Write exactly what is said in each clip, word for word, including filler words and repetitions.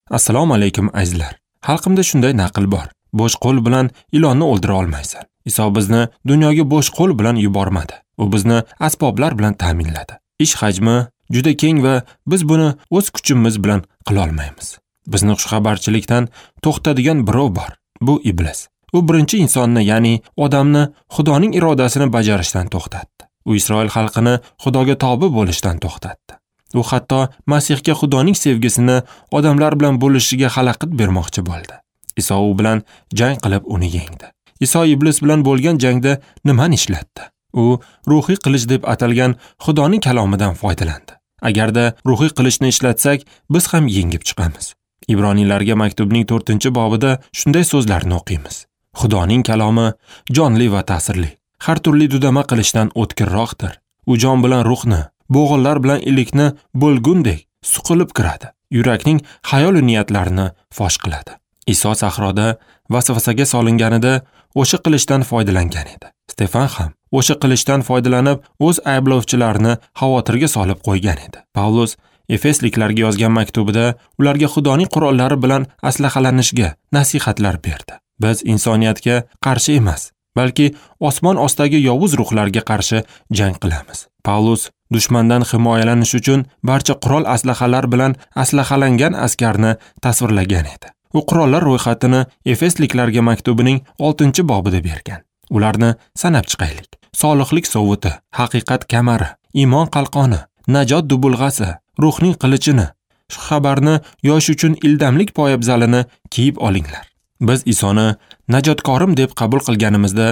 Assalomu alaykum azizlar. Xalqimda shunday naql bor. Bo'sh qo'l bilan ilonni o'ldira olmaysan. Iso bizni dunyoga bo'sh qo'l bilan yubormadi. U bizni asboblar bilan ta'minladi. Ish hajmi juda keng va biz buni o'z kuchimiz bilan qila olmaymiz. Bizni xushxabarchilikdan to'xtadigan birov bor. Bu iblis. U birinchi insonni, ya'ni odamni Xudoning irodasini bajarishdan to'xtatdi. U Isroil xalqini Xudoga tobe bo'lishdan to'xtatdi. U hatto Masihga Xudoning sevgisini odamlar bilan bo'lishiga xalaqit bermoqchi bo'ldi. Iso u bilan jang qilib uni yengdi. Iso iblis bilan bo'lgan jangda nimani ishlatdi? U ruhiy qilich deb atalgan Xudoning kalomidan foydalandi. Agarda ruhiy qilichni ishlatsak, biz ham yengib chiqamiz. Ibroniylarga maktubning to'rtinchi bobida shunday so'zlarni o'qiymiz. Xudoning kalomi jonli va ta'sirli. Har turli dudama qilichdan o'tkirroqdir. U jon bilan ruhni, bo'g'inlar bilan ilikni bo'lgundek suqilib kiradi. Yurakning xayol niyatlarini fosh qiladi. Iso sahroda vasvasaga solinganida o'sha qilichdan foydalangan edi. Stefan ham o'sha qilichdan foydalanib o'z ayblovchilarini xavotirga solib qo'ygan edi. Pavlus Efesliklarga yozgan maktubida ularga Xudoning qurollari bilan aslahalanishga nasihatlar berdi. Biz insoniyatga qarshi emas, balki osmon ostidagi yovuz ruhlarga qarshi jang qilamiz. Pavlus dushmandan himoyalanish uchun barcha qurol aslahalar bilan aslahalangan askarni tasvirlagan edi. U qurollar ro'yxatini Efesliklarga maktubining oltinchi bobida bergan. Ularni sanab chiqaylik. Solihlik sovuti, haqiqat kamari, iymon qalqoni, najot dubulg'asi, ruhning qilichini, shu xabarni yosh uchun ildamlik poyabzalini kiyib olinglar. Biz Isoni najotkorim deb qabul qilganimizda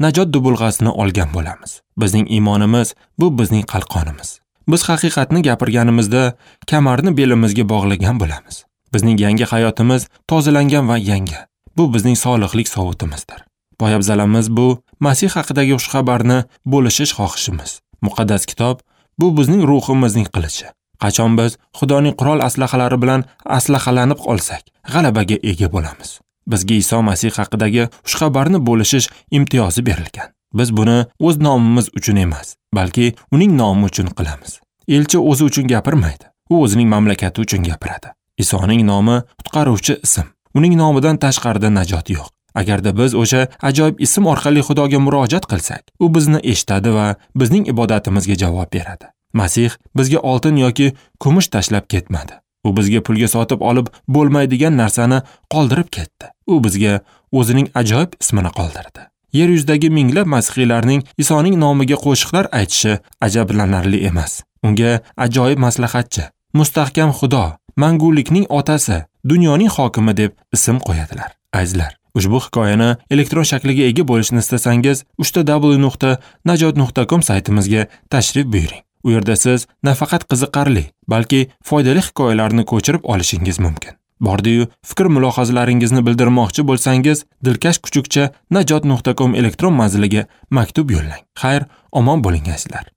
najot dubulg'asini olgan bo'lamiz. Bizning iymonimiz bu bizning qalqonimiz. Biz haqiqatni gapirganimizda kamarni belimizga bog'lagan bo'lamiz. Bizning yangi hayotimiz tozalangan va yangi. Bu bizning solihlik sovutimizdir. Poyabzalimiz bu Masih haqidagi xushxabarni bo'lishish xohishimiz. Muqaddas kitob bu bizning ruhimizning qilichi. Qachon biz Xudoning qurol aslahalari bilan aslahalanib olsak, g'alabaga ega bo'lamiz. Bizga Iso Masih haqidagi xushxabarni bo'lishish imtiyozi berilgan. Biz buni o'z nomimiz uchun emas, balki uning nomi uchun qilamiz. Elchi o'zi uchun gapirmaydi, u o'zining mamlakati uchun gapiradi. Isoning nomi qutqaruvchi ism. Uning nomidan tashqarida najot yo'q. Agarda biz o'sha ajoyib ism orqali Xudoga murojaat qilsak, u bizni eshitadi va bizning ibodatimizga javob beradi. Masih bizga oltin yoki kumush tashlab ketmadi. U bizga pulga sotib olib bo'lmaydigan narsani qoldirib ketdi. U bizga o'zining ajoyib ismini qoldirdi. Yer yuzidagi minglab masihiylarning Isoning nomiga qo'shiqlar aytishi ajablanarli emas. Unga ajoyib maslahatchi, mustahkam Xudo, mangulikning otasi, dunyoning hokimi deb ism qo'yadilar. Azizlar, ushbu hikoyani elektron shakliga ega bo'lishni istasangiz, uch w nuqta najot nuqta com saytimizga tashrif buyuring. U yerda siz nafaqat qiziqarli, balki foydali hikoyalarni ko'chirib olishingiz mumkin. Bordi-yu, fikr mulohazalaringizni bildirmoqchi bo'lsangiz, dilkash kuchukcha najot nuqta com elektron manziliga maktub yo'llang. Xayr, omon bo'ling azizlar.